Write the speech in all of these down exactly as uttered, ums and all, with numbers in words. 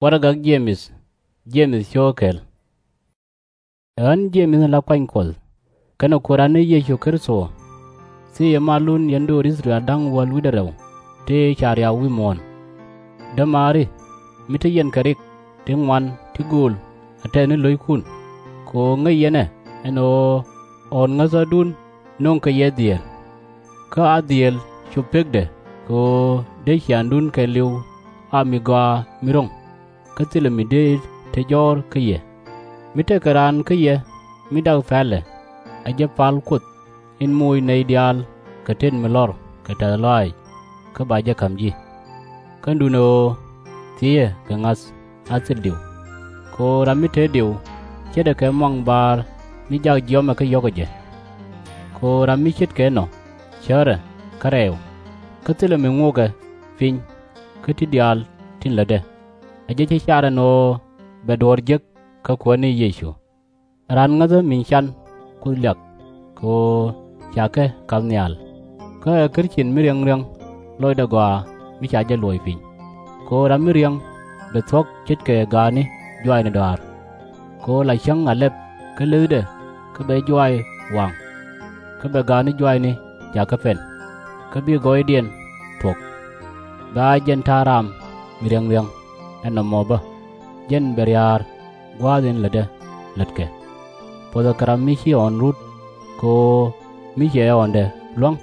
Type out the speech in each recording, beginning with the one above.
Warɛgak Jemith. Jemith cio̱o̱k kɛl. Ɛ ɣän Jemith in la kuany Kuɔth kɛnɛ Kuääran ni Yecu Kritho, thiëcɛ malun yɛn do̱r I-thɛ-rɛl da̱ŋ wäl wi̱cdɛ rɛw tëë ca riaw wi̱i̱ muɔ̱ɔ̱n. Dämaari, mi te yɛn kɛ rik ti ŋuan ti gööl a tɛth ni lo̱ckun, kɛ ɣöö ŋäc yɛn ɛ ɛn ɣöö ɣɔ̱ɔ̱n ŋäthädun nöŋ kɛ yɛ dhieel. Kä a dhieel cop pekdɛ, kɛ ɣöö dee ciaaŋdun kɛɛliw a mi gɔaa mi ro̱ŋ, kä thilɛ mi dee te jɔ̱ɔ̱r kä yɛ. Mi tekɛ raan kä yɛ mi dak pälɛ, ɛ jɛ pal Kuoth in moc nɛy diaal kɛ tet mi lɔr kɛ tɛ̈th lɔaac, kä ba jɛ ka̱m ji̱. Kä duundɛ ɣöö thiëcɛ kɛ ŋa̱th a thil diw. Kɛ ɣöö ram mi te diw ce̱tdɛ kɛ muaŋ baar mi jak jiɔamɛ kä yɔ̱kɛ jɛ. Kɛ ɣöö ram mi ce̱tkɛ inɔ cärɛ kä rɛɛw, kä thilɛ mi ŋuɔkɛ piny kä ti diaal tin lätdɛ. Ɛ jɛ cä car ɛn ɣöö bɛ duɔ̱ɔ̱r jek kä Kuäär ni Yecu. Raan ŋäthä min can Kuoth liak, kɛ ɣöö ca kɛ ka̱m nhial, kä ɛ Krithian mi riäŋ riäŋ lɔcdɛ gɔaa mi ca jɛ luɔ̱c piny. Kɛ ɣöö ram mi riäŋ bɛ thuɔ̱k ce̱tkɛ gaatni juaacni dɔa̱a̱r. Kɛ ɣöö la cäŋ a lɛp kä leethdɛ kä bɛ juaac waŋ, kä bɛ gaatni juaacni jakä pɛn, kä bi gɔɔydiɛn thuɔ̱k. Bɛ a jɛn ta̱a̱ raam mi riäŋ riäŋ ɛn nɔmɔ bä, jɛn bɛ ria̱a̱r gua̱a̱th in lätdä lätkɛ. Puɔ̱thɛ kɛ ram mi ci ɣɔ̱ɔ̱n rut, kɛ ɣöö mi cɛ ɣɔ̱ɔ̱ndɛ luäŋ,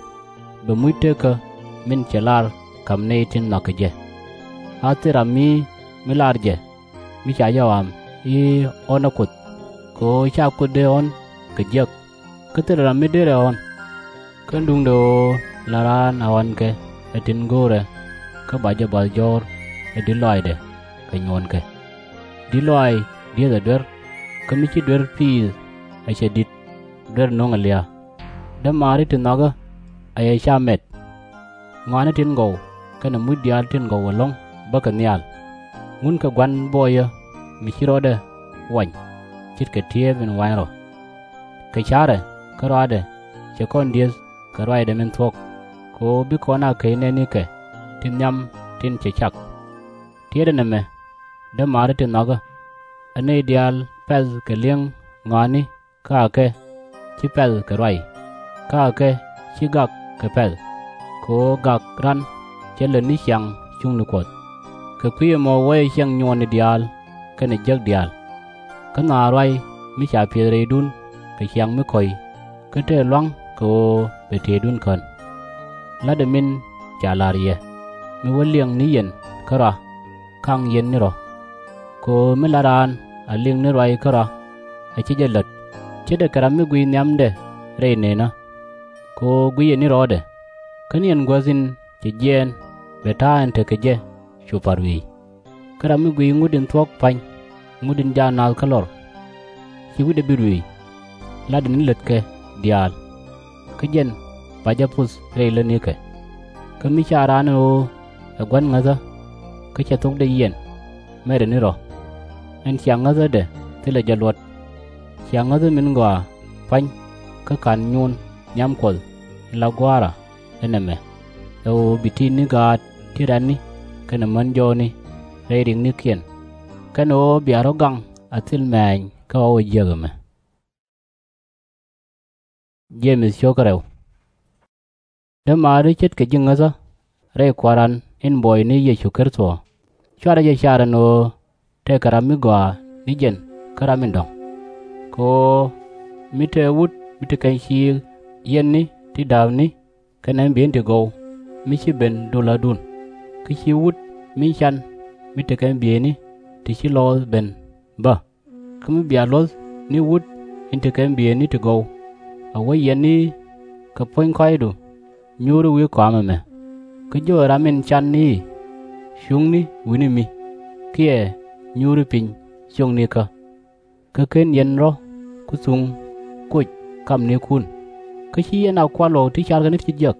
bɛ muc tekä min cɛ lar ka̱m nɛy tin nhɔakɛ jɛ. A thil ram mi mi lar jɛ mi ca jɛ ɣɔam i̱ ɣɔ̱n ɛ Kuoth, kɛ ɣöö /ca Kuoth dee ɣɔ̱n kɛ jiäk, kä thilɛ ram mi derɛ ɣɔ̱n. Kä duundɛ ɣöö la raan a ɣɔ̱nkɛ ɛ tin go̱o̱rɛ, kä ba jɛ bath jɔ̱ɔ̱r ɛ di̱t lɔaacdɛ kɛ nyuɔ̱ɔ̱nkɛ. Di̱t lɔaac di̱ethɛ duer, kä mi ci duer piith ɛ cɛ di̱t, duer nöŋɛ lia̱a̱. Dämaari ti nhɔakä, a yɛ /ca mɛt. Ŋɔaani tin gɔw kɛnɛ muc diaal tin gɔw ɛlɔ̱ŋ bäkɛ nhial. Ŋunkɛ gua̱n buɔyä mi ci rɔɔdɛ wany, ce̱tkɛ ti̱eep in wa̱a̱ny rɔ. Kɛ ca̱rɛ kä rɔaadɛ cɛ kɔn di̱eth kɛ ruacdɛ min thuɔ̱k, kɛ ɣöö bi kɔn a key nɛɛnikɛ ti nhiam tin cɛ cak. Tiɛtdɛ nɛmɛ, dämaari ti nhɔakä, ɛ nɛy diaal pɛ̈th kɛ li̱eŋ ŋɔaani kä akɛ /ci pɛ̈th kɛ ruac, kä akɛ /ci gak kɛ pɛ̈th, kɛ ɣöö gak ran cɛ lät ni ciaŋ cuŋni Kuɔth. Kɛ kui̱ ɛmɔ wä yɛ ciɛŋ nyuɔɔni diaal kɛnɛ jiäk diaal. Kä nhɔaa ruac mi ca piɛth rɛydun kɛ ciaŋ mi kɔ̱c, kä tëë lua̱ŋ kɛ ɣöö bɛ tëëdun kän. La̱tdɛ min ca la̱r yɛ, mi wä liɛŋ ni yɛn kärɔa, ka̱ŋ yɛn ni rɔ̱. Kɛ ɣöö mi la raan a liŋ ni ruac kärɔa, a /ci jɛ lät, ce̱tdɛ kɛ ram mi guic nhiamdɛ rɛy nëënä. Kɛ ɣöö gui̱cɛ ni rɔɔdɛ, kä ni ɛn guäth in cɛ jiɛɛn bɛ ta̱a̱ in tekɛ jɛ cu pa̱r wi̱i̱. Kä ram mi guic ŋut in thuɔ̱k pa̱ny, ŋut in jaa naath kä lɔr, /ci wi̱cdɛ bi ruëëc. La̱tdɛ ni lätkɛ diaal, kä jɛn ba jɛ puth rɛy lätnikɛ. Kä mi /ca raan ɛn ɣöö ɛ gua̱n ŋäthä, kä cɛ thokdɛ yiɛn, mɛtdɛ ni rɔ̱. Ɛn cia ŋäthädɛ thilɛ jɛ luɔt. Cia ŋäthä min gɔaa pa̱ny, kä /ka̱n nyuun nhiam Kuɔth in la Gua̱a̱ra ɛ nɛmɛ, ɛ ɣöö bi ti̱i̱tni gaat ti rɛ̈tni kɛnɛ män jɔɔkni rɛy riknikiɛn, kɛnɛ ɣöö bia rɔ̱ gaŋ a thil mɛ̈ɛ̈ny kä ɣɔw ɛ jiäk ɛmɛ. Dämaari ce̱tkɛ ji̱ ŋäthä rɛy Kua̱ran in buɔyni Yecu Kritho, /cuarɛ jɛ car ɛn ɣöö tekɛ ram mi gɔaa ni jɛn kä ram in dɔ̱ŋ. Kɛ ɣöö mi te wut mi te kɛn ciik yiɛtni ti da̱a̱pni kɛnɛ ɛn bieyni ti gɔw mi ci ben do̱la̱dun, kä ci wut min can mi te kɛn bieyni ti ci lɔɔth ben bä. Kä mi bia luɔ̱th ni wut in te kɛn bieyni ti gɔw, a wä yiɛtni kɛ puɔ̱ny kɔ̱a̱cdu nyuuri wi̱i̱ kɔam ɛmɛ. Kä jɔɔc ram in can i̱, cuŋni wi̱ni mi, kiɛ nyuuri piny ciöknikä. Kä /ken yɛn rɔ̱ ku thuŋ koc kamnikun, kä /ci yɛn a kual ɣɔw ti carkɛ ni ti jiäk.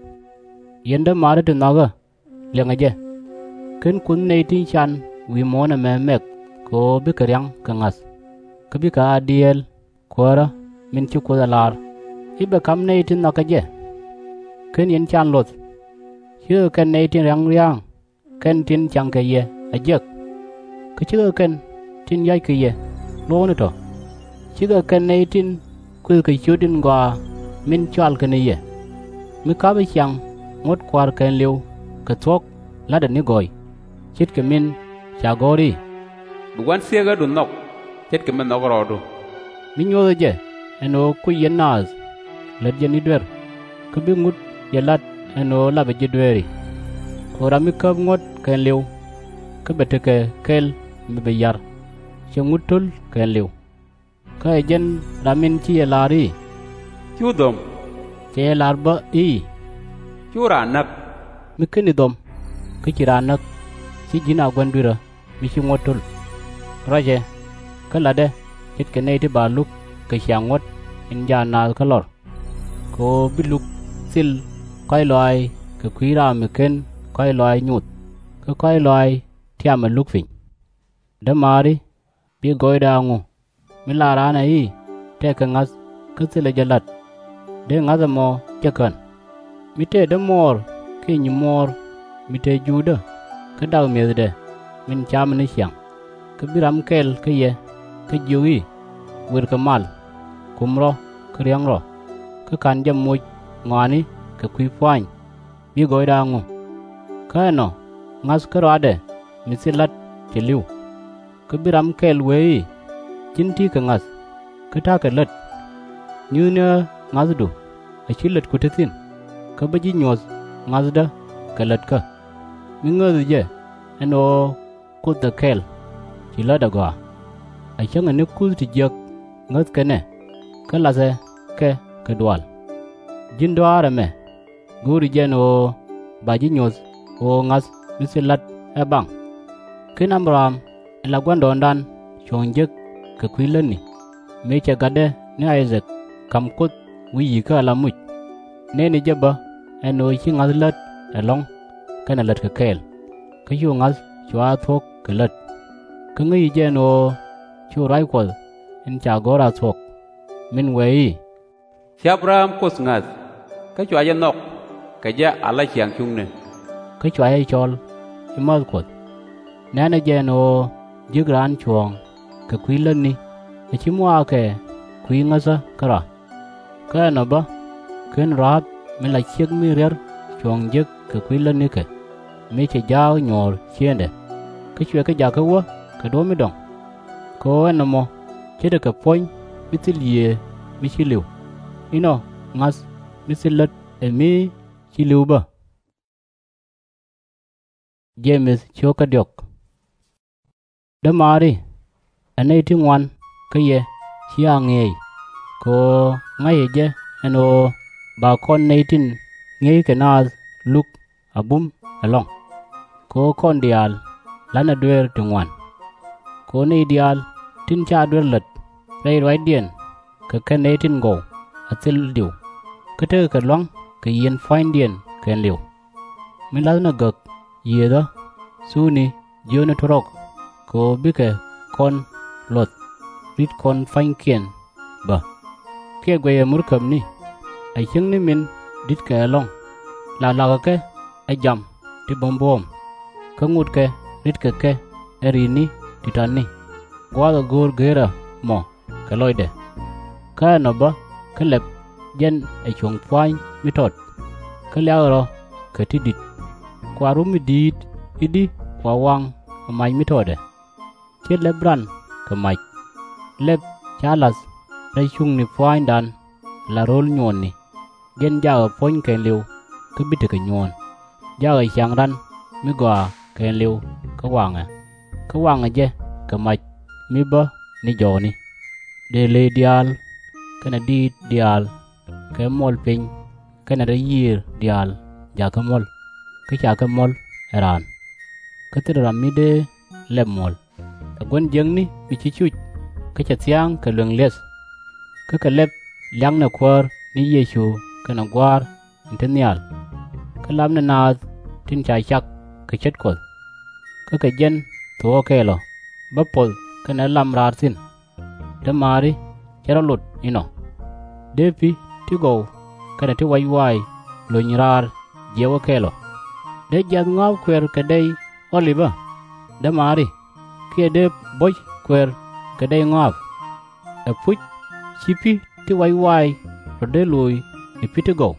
Yɛn dämaari ti nhɔakä, liɛŋɛ jɛ. /Ken Kuoth nɛy tin can wi̱i̱ muɔ̱ɔ̱n ɛmɛ mɛk kɛ ɣöö bikɛ ria̱ŋ kɛ ŋa̱th, kä bikɛ a dieel Kuäärä min ci Kuoth ɛ lar i̱ bɛ ka̱m nɛy tin nhɔakä jɛ. /Ken yɛn can luɔ̱th, ce̱tkɛ kɛn nɛy tin ria̱ŋ ria̱a̱ŋ kɛnɛ tin caŋkɛ yɛ a jiäk. Kä cikɛ kɛn tin yɔckɛ yɛ luɔ̱kni tɔ̱, cikɛ kɛn nɛy tin kuëthkɛ ciöt in gɔaa min cɔalkɛ ni yɛ. Mi ka̱pɛ ciaŋ ŋuɔ̱t Kua̱r kɛɛliw kɛ thuɔ̱k la̱tdɛ ni gɔɔy, ce̱tkɛ min ca go̱r i̱, Bi gua̱n thieekädu nhɔk ce̱tkɛ mi nhɔk rɔɔdu. Mi nyuɔ̱thɛ jɛ ɛn ɣöö kuc yɛn naath lät yɛn ni duer, kä bi ŋut jɛ la̱t ɛn ɣöö lapɛ ji̱ dueeri. Kɛ ɣöö ram mi käp ŋuɔ̱t kɛɛliw, kä bɛ tekɛ kɛl mi bi ya̱r, cɛ ŋut to̱l kɛɛliw. Kä ɛ jɛn ram in ci yɛ lar i̱, Cu dhom, cɛ yɛ lar bä i̱, Cu raan näk. Mi /keni dhom, kä ci raan näk, /ci ji̱n a gua̱n dui̱rä mi ci ŋuɔ̱t to̱l. Ruacɛ, kä la̱tdɛ ce̱tkɛ nɛy ti ba luk kɛ ciaŋ ŋuɔ̱t in jaa naath kä lɔr. Kɛ ɣöö bi luk thil kɔ̱a̱c lɔaac kɛ kui̱ ram mi /ken kɔ̱a̱c lɔaac nyoth, kä kɔ̱a̱c lɔaac tiamɛ luk piny. Dämaari, bi gɔɔydɛ a ŋu, mi lar raan ɛ i̱, Tëëkɛ ŋa̱th kä thilɛ jɛ la̱t? Dee ŋa̱th ɛmɔ jek ɣän. Mi tëë dämuɔɔr kiɛ nyimuɔɔr mi te juudä kä dak mi̱ethdɛ min camɛ ni ciaŋ, kä bi ram kɛl kä yɛ kä jiök i̱, Wër kɛ mal, kum rɔ kä riäŋ rɔ, kä ka̱n jɛ moc ŋɔaani kɛ kui̱ pua̱a̱ny, bi gɔɔydɛ a ŋu? Kä ɛnɔ ŋa̱th kä rɔaadɛ mi thil la̱t cɛ li̱w. Kä bi ram kɛl wee i̱, Ji̱n ti̱i̱ kɛ ŋa̱th, kä ta̱a̱ kɛ lät. Nyuthni ɣä ŋa̱thdu a /ci lätku te thi̱n, kä bä ji̱ nyuɔ̱th ŋa̱thdä kɛ lätkä. Mi ŋääthi jɛ ɛn ɣöö Kuoth ɛ kɛl, ci lät ɛ gɔaa. A cäŋɛ ni kuth ti jiäk ŋäthkɛ nɛ, kä lathɛ kɛ kɛ dual. Ji̱n dɔa̱a̱r ɛmɛ, go̱o̱ri jɛ ɛn ɣöö ba ji̱ nyuɔ̱th ɣöö ŋa̱th mi thil la̱t ɛ baŋ? /Ken Abraham, ɛ la gua̱ndɔɔŋdan, cuɔ̱ŋ jek kɛ kui̱ lätni, mëë cɛ gatdɛ ni I-thak ka̱m Kuoth wi̱i̱ yi̱i̱kä ala muc? Nɛni jɛ bä ɛn ɣöö /ci ŋa̱th lät ɛlɔ̱ŋ kɛnɛ lätkɛ kɛɛl, kä cu ŋa̱th cua thuɔ̱k kɛ lät. Kä ŋäci jɛ ɛn ɣöö cu ruac Kuɔth in ca gɔ̱r a thuɔ̱k, min wëë i̱, Ci Abraham Kuoth ŋa̱th, kä cua jɛ nhɔk kɛ jɛ ala ciaŋ cuŋni, kä cua jɛ cɔl ci määth Kuɔth. Nɛ̈nɛ jɛ ɛn ɣöö ji̱k raan cuɔ̱ɔ̱ŋ kɛ kui̱ lätni a /ci muaakɛ kui̱ ŋäthä kärɔa. Kä ɛnɔ bä, /ken Rä-ɣap, min la ciek mi riär cuɔ̱ɔ̱ŋ jek kɛ kui̱ lätnikɛ, mëë cɛ ja̱a̱k nyuɔ̱ɔ̱r ciëŋdɛ, kä cuɛ kɛ jakä wä kɛ duɔ̱ɔ̱p mi dɔ̱ŋ? Kɛ ɣöö ɛn nɔmɔ ce̱tdɛ kɛ puɔ̱ny mi thil yiëë mi ci li̱w. Inɔ ŋa̱th mi thil lät ɛ mi ci li̱w bä. Dämaari, ɛ nɛy ti ŋuan kä yɛ /cia ŋi̱eec, kɛ ɣöö ŋa̱cä jɛ ɛn ɣöö ba kɔn nɛy tin ŋi̱eeckɛ naath luk a bum ɛlɔ̱ŋ. Kɛ ɣöö kɔn diaal la̱tnɛ dueer ti ŋuan. Kɛ ɣöö nɛy diaal tin /ca duer lät rɛy ruacdiɛn kɛ kɛn nɛy tin gɔw a thil diw, kä tekɛ kɛ lua̱ŋ kɛ yieen pua̱nydiɛn kɛɛliw. Min la̱thnɛ gäk, yiëëthä, thukni jiökni tuɔ̱rɔk, kɛ ɣöö bikɛ kɔn luɔ̱th ri̱t kɔn pua̱nykiɛn bä. Kiɛ guɛcɛ murkäbni, a cieŋni min di̱tkɛ ɛlɔ̱ŋ, la la̱kɛ kɛ ɛ jam ti buɔ̱m buɔ̱ɔ̱m, kä ŋutkɛ ri̱tkɛ kɛ ɛ ri̱i̱tni ti ta̱tni, gua̱a̱th ɛ go̱o̱r geerä mɔ kɛ lɔcdɛ. Kä ɛnɔ bä kä lɛp jɛn ɛ cuɔ̱ŋ pua̱ny mi tɔt, kä liakɛ rɔ kɛ ti di̱t. Kua rup mi di̱i̱t i̱di kua waŋ ɛ mac mi tɔtdɛ? /Ciɛ lɛp ran kɛ mac. Lɛp /ca la̱th rɛy cuŋni pua̱nydan la ro̱l nyuɔɔni, jɛn jakɛ puɔ̱ny kɛɛliw kä bi tekɛ nyuɔ̱ɔ̱n. Jakɛ ciaŋ ran mi gɔaa kɛɛliw kä waŋɛ, kä waŋɛ jɛ kɛ mac mi bä ni jɔɔni. Dëë lëë diaal kɛnɛ diit diaal kɛ muɔl piny kɛnɛ rɛy yiëër diaal jakä muɔ̱l, kä /ca kɛ muɔ̱l ɛ raan. Kä thilɛ ram mi dee lɛp muɔ̱l. Ɛ gua̱n jiäkni mi ci cuc kä cɛ thia̱a̱ŋ kɛ lueŋ li̱eth, kä kɛ lɛp liaknɛ Kuäär ni Yecu kɛnɛ Gua̱a̱r in te nhial, kä lapnɛ naath tin ca cak kɛ ce̱t Kuɔth. Kä kɛ jɛn thuɔ̱ɔ̱kɛ kɛl ɔ bä puɔth kɛnɛ lam raar thi̱n. Dämaari, cɛ rɔ lot inɔ. Dee pi̱ ti gɔw kɛnɛ ti wac waay lony raar jiɛk wä kɛl ɔ? Dee jiath ŋɔa̱a̱p kuɛɛr kɛ dɛy Ɔ-lip ɔ? Dämaari, kiɛ dee bo̱c kueer kɛ dɛy ŋɔak? Ɛpuc, /ci pi̱ ti wac waay rɔ̱ dee loc ɛ pi̱ ti gɔw?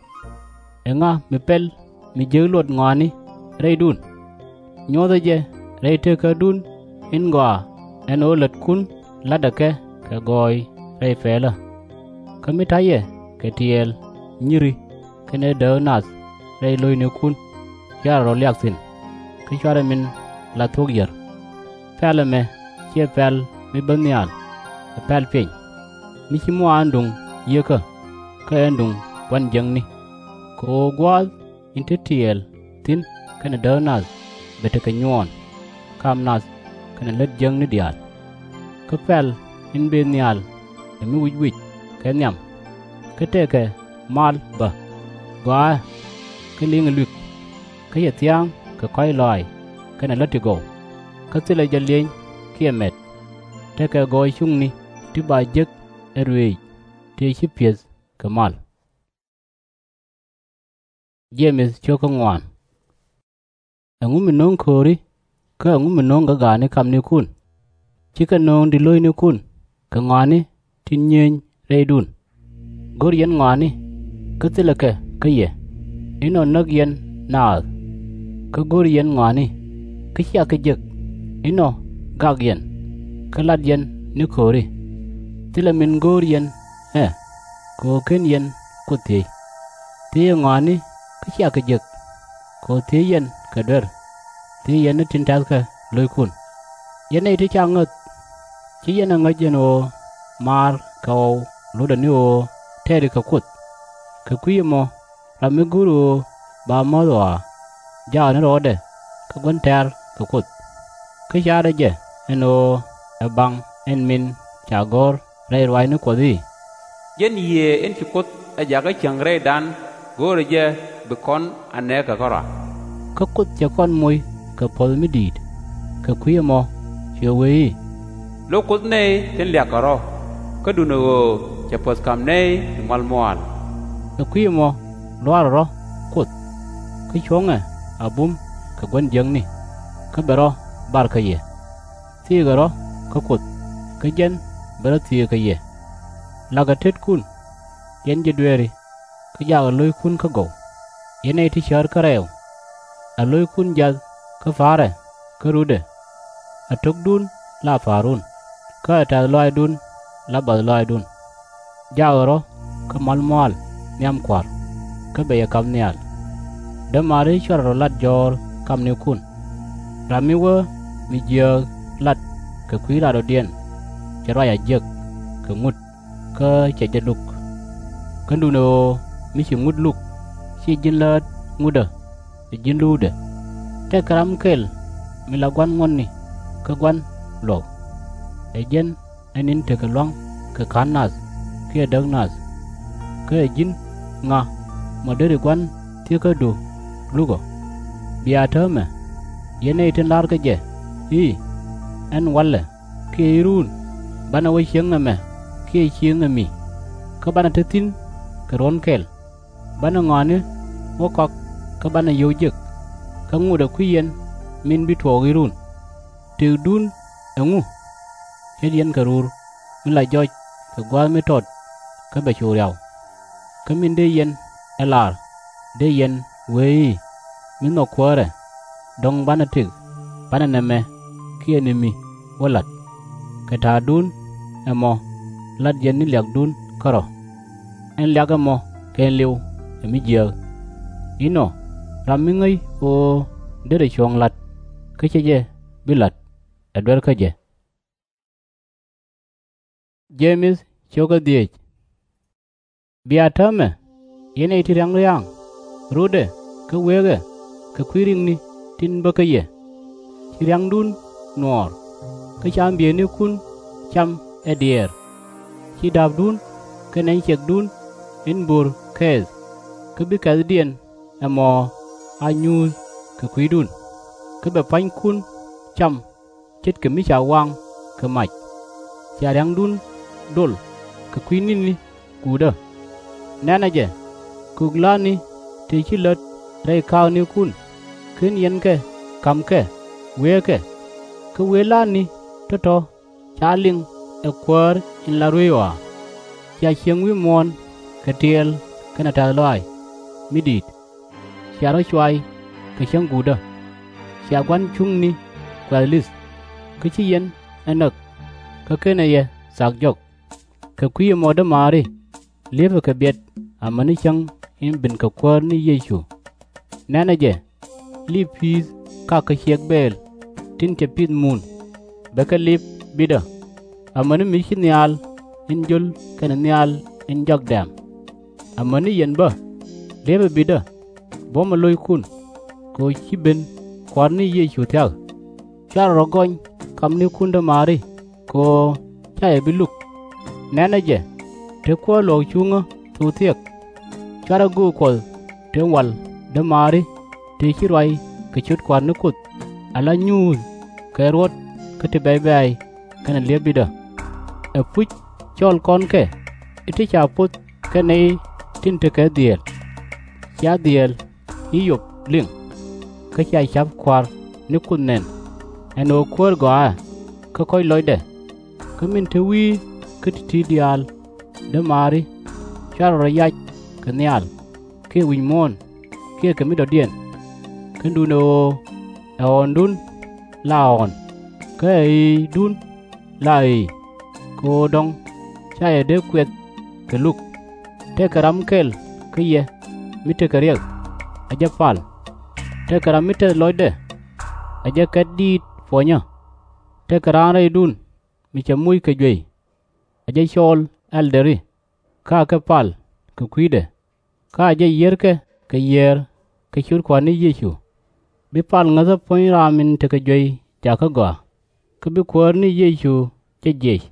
Ɛŋa mi pɛl mi jiäk luɔt ŋɔaani rɛydun? Nyuɔ̱thɛ jɛ rɛy tekädun in gɔaa ɛn ɣöö lätkun la̱tdɛ kɛ kɛ gɔɔy rɛy pɛlä. Kä mi ta̱yɛ kɛ tiɛɛl nyiri kɛnɛ dääk nath rɛy lo̱cnikun, /cuarɛ rɔ̱ liak thi̱n, kä /cuarɛ min la thuɔ̱k yär. Pɛl ɛmɛ /ciɛ pɛl mi bä nhial, ɛ pɛl piɛny, mi ci muaanduŋ yieekä, kä ɣänduŋ gua̱n jiäkni. Kɛ ɣöö gua̱a̱th in te tiɛɛl thi̱n kɛnɛ dääk nath bɛ tekɛ nyuɔɔn, kam nath kɛnɛ lät jiäkni diaal. Kä pɛl in bëë nhial ɛ mi wic wic kɛ nhiam, kä tëëkɛ mal bä, gɔaaɛ, kä liŋɛ lui̱k, kä cɛ thia̱a̱ŋ kɛ kɔ̱a̱c lɔaac kɛnɛ lät ti gɔw, kä thilɛ jɛ lieny kiɛ mɛt. Tekɛ gɔɔy cuŋni ti ba jek ɛ ruëëc tëë ci pi̱eth kɛ mal. Ɛŋu mi no̱o̱ŋ kööri, kä ɛŋu mi no̱o̱ŋ gak gaatni kamnikun? /Cikɛ nööŋ di̱t lo̱cnikun kɛ ŋɔaani tin nyieeny rɛydun. Go̱r yɛn ŋɔaani, kä thilɛ kɛ kä yɛ, inɔ näk yɛn naath. Kä go̱r yɛn ŋɔaani, kä /cia kɛ jek, inɔ gak yɛn, kä lat yɛn ni kööri. Thilɛ min go̱o̱r yɛn ɛ, kɛ ɣöö /ken yɛn Kuoth thiec. Thiëëcɛ ŋɔaani, kä /cia kɛ jek, kɛ ɣöö thiec yɛn kɛ duer, thiec yɛn ni tin tɛ̈thkɛ lo̱ckun. Yɛn nɛy ti ca ŋäth, /ci yɛn ɛ ŋäc ɛn ɣöö maar kɛ ɣɔw lotdɛ ni ɣöö tɛri kɛ Kuoth? Kɛ kui̱ ɛmɔ ram mi go̱o̱ri ɣöö ba mäth ɣɔaa, jaakɛ ni rɔɔdɛ kä gua̱n tɛ̈r kɛ Kuoth, kä ca̱rɛ jɛ ɛn ɣöö ɛ baŋ ɛn min ca gɔ̱r rɛy ruaacni Kuɔth i̱, Jɛn Yiëë in ci Kuoth ɛ jakä cieŋ rɛydan, go̱o̱rɛ jɛ bi kɔn a nɛɛkɛ kärɔa. Kä Kuoth cɛ kɔn moc kɛ puɔ̱th mi di̱i̱t. Kɛ kui̱ ɛmɔ cuɛ wee i̱, Lo̱k Kuoth nɛy tin liak kɛ rɔ̱, kä duundɛ ɣöö cɛ puɔ̱th ka̱m nɛy ti mual muaal. Kɛ kui̱ ɛmɔ lua̱rɛ rɔ̱ Kuoth, kä cuɔ̱ŋɛ a bum kɛ gua̱n jiäkni, kä bɛ rɔ̱ bar kä yɛ. Thiëëkɛ rɔ̱ kä Kuoth, kä jɛn bɛ rɔ̱ thiëëk kɛ yɛ. La̱kɛ tetkun, yɛn ji̱ dueeri, kä jaakɛ lo̱ckun kä gɔw, yɛn nɛy ti cäät kä rɛɛw. Ɛ lo̱ckun jiath kä pa̱a̱rɛ kä rutdɛ. Ɛ to̱kdun la pa̱a̱run, kä ɛ tɛ̈th lɔaacdun la bath lɔaacdun. Jaakɛ rɔ̱ kä mal mua̱a̱l nhiam Kua̱r, kä bɛ yɛ kap nhial. Dämaari, /cuarɛ rɔ̱ lat jɔ̱ɔ̱r kamnikun. Ram mi wä mi jiääk lat kɛ kui̱ latdɔ̱diɛn, cɛ ruac a jiäk kɛ ŋut, kä cɛ jɛ luk. Kä duundɛ ɣöö mi ci ŋut luk, /ciɛ ji̱n läät ŋutdä, ɛ ji̱n luukdɛ. Tëëkɛ ram kɛl mi la gua̱n ŋuɔ̱tni kä gua̱n luɔ̱k. Ɛ jɛn ɛ ni̱n tekɛ lua̱ŋ kɛ ka̱n nath kiɛ däk nath. Kä ɛ ji̱n ŋa mɔ deri gua̱n thieekädu luk ɔ? Bia täämɛ, yɛn nɛy tin la̱rkɛ jɛ i̱, Ɛn walɛ kiɛ i̱, Ruun, banɛ wä cieŋ ɛmɛ kiɛ cieŋ ɛ mi, kä banɛ te thi̱n kɛ ruɔ̱n kɛl. Banɛ ŋɔaani wä kɔak kä banɛ yio̱w jek, kä ŋotdɛ kui̱ yɛn min bi tuɔɔk i̱, Ruun. Tëkdun ɛŋu? Ce̱t yɛn kɛ ruur mi la jɔc kɛ gua̱a̱th mi tɔt kä bɛ cu riaw. Kä min dee yɛn ɛ lar, dee yɛn wee i̱, Mi nhɔk kuäärɛ, dɔ̱ŋ banɛ tëk, banɛ nɛmɛ kiɛ ni mi wä la̱t. Kɛ ta̱a̱dun ɛmɔ lat yɛn ni liakdun kärɔ̱. Ɛn liak ɛmɔ kɛɛliw ɛ mi jiääk. Inɔ, ram mi ŋäc ɣöö derɛ cuɔ̱ɔ̱ŋ la̱t kä /cɛ jɛ bi la̱t, ɛ duer kä jɛ. Bia täämɛ, yɛn nɛy ti ria̱ŋ ria̱a̱ŋ, rutdɛ kä wëëkɛ kɛ kui̱ ri̱ŋni tin bä kä yɛ. Ci ria̱ŋdun nuɔɔr, kä ci ambiëënikun cam ɛ diɛɛr. Ci da̱a̱pdun kɛ nɛny ciɛkdun in bo̱r kɛɛth, kä bi kɛ̈thdiɛn ɛmɔ a nyuuth kɛ kui̱dun, kä bɛ pua̱nykun cam ce̱tkɛ mi ca waŋ kɛ mac. Cia ria̱ŋdun dol kɛ kui̱ ni̱ni guutdä. Nɛnɛ jɛ, kök la̱a̱tni tëë ci lät rɛy ka̱a̱knikun, /ken yɛn kɛ ka̱m kɛ, wëëkɛ. Kä wëë la̱a̱tni Kä tɔ̱ /ca liŋ ɛ Kuäär in la rueec ɣɔaa. Cia ciëŋ wi̱i̱ muɔ̱ɔ̱n kɛ tiɛɛl kɛnɛ tɛ̈th lɔaac mi di̱i̱t. Cia rɔ̱ cuay kɛ cäŋ guutdä. Cia gua̱n cuŋni kuɛth li̱th, kä /ci yɛn ɛ näk kä /kenɛ yɛ thak jɔk. Kɛ kui̱ ɛmɔ, dämaari, li̱epɛ kɛ biɛt amäni cäŋ in ben kɛ Kuäär ni Yecu. Nɛ̈nɛ jɛ, liip pi̱i̱th kakä ciɛk bɛɛl tin cɛ pith muun, bɛ kɛ li̱ep bitdä, amäni mi ci nhial in jio̱l kɛnɛ nhial in jɔak dɛ̈ɛ̈m. Amäni yɛn bä, li̱epɛ bitdä, buɔ̱mɛ lo̱ckun, kɛ ɣöö ci ben Kua̱r ni Yecu thia̱k. /Cuarɛ rɔ̱ gɔny kamnikun, dämaari, kɛ ɣöö /ca yɛ bi luk. Nɛ̈nɛ jɛ, te kuäär luɔ̱k cuŋä thok thiek. /Cuarɛ göök Kuɔth tëë wal, dämaari, tëë ci ruac kɛ ciöt Kua̱r ni Kuoth, ala nyuuth kɛ ruɔ̱t kä ti bɛ̈c bɛ̈ɛ̈c kɛnɛ li̱ep bitdä. Ɛpuc cɔɔl kɔn kɛ i̱ ti ca poth kɛ nɛy tin tekɛ dhieel. Cia dhieel i̱ Yop liŋ, kä cia ca̱p Kua̱r ni Kuoth nɛn, ɛn ɣöö kuäär gɔaaɛ kä kɔ̱c lɔcdɛ. Kä min te wi̱i̱ kä ti̱ti̱ diaal, dämaari, /cuarɛ rɔ̱ yac kɛ nhial, kiɛ wi̱c muɔ̱ɔ̱n, kiɛ kɛ mi dɔ̱diɛn. Kä duundɛ ɣöö ɛ ɣɔ̱ɔ̱ndun la ɣɔ̱ɔ̱n, kä ɛ ɣi̱i̱dun la ɣi̱i̱, kɛ ɣöö dɔ̱ŋ /ca yɛ dee kuɛth kɛ luk. Tëëkɛ ram kɛl kä yɛ mi tekɛ riɛk, ɛ jɛ pal. Tëëkɛ ram mi tɛth lɔcdɛ, ɛ jɛ kɛt diit puɔnyä. Tëëkɛ raan rɛydun mi cɛ moc kɛ juey, ɛ jɛ cɔɔl ɛldɛri, kä akɛ pal kɛ kui̱dɛ, kä a jɛ yiërkɛ kɛ yiëër kɛ ciöt Kua̱r ni Yecu. Bi pal ŋäthä puɔ̱ny ram in tekɛ juey jakä gɔaa, kä bi Kuäär ni Yecu jɛ jiɛc.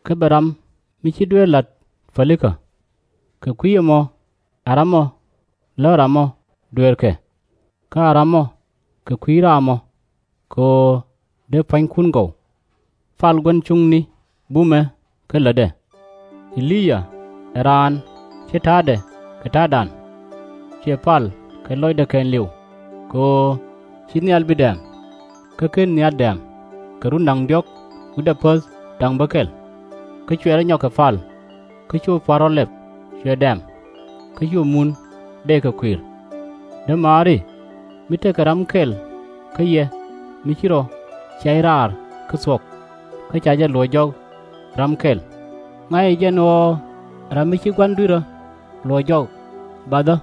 Kä bɛ ram mi ci dueer la̱t pälikä. Kɛ kui̱ ɛmɔ ɛ ramɔ lä ramɔ dueerkɛ, kä a ramɔ kɛ kui̱ raamɔ, kɛ ɣöö dee pua̱nykun gɔw. Pal gua̱n cuŋni bumɛ kä lätdɛ. E-li-yaa ɛ raan ci ta̱a̱dɛ kɛ ta̱a̱dan. Cuɛ pal kɛ lɔcdɛ kɛɛliw, kɛ ɣöö /ci nhial bi dɛ̈ɛ̈m, kä /ken nhial dɛ̈ɛ̈m kɛ run da̱ŋ diɔ̱k wi̱cdɛ päth da̱ŋ bäkɛl. Kä cuɛ rɔ nyɔk kɛ pal, kä cu pua̱t rɔ lɛp, cuɛ dɛ̈ɛ̈m, kä cu mun dee kɛ kui̱r. Dämaari, mi tekɛ ram kɛl kä yɛ mi ci rɔ ciac raar kä thuɔ̱k, kä ca jɛ luɔ̱c jɔk ram kɛl. Ŋa̱cɛ jɛn ɣɔɔ ram mi ci gua̱n dui̱rä luɔ̱c jɔk bathdä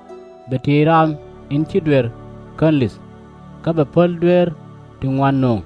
bɛ tiey ram in ci duer kän li̱th, kä bɛ päl dueer ti ŋuan nööŋ.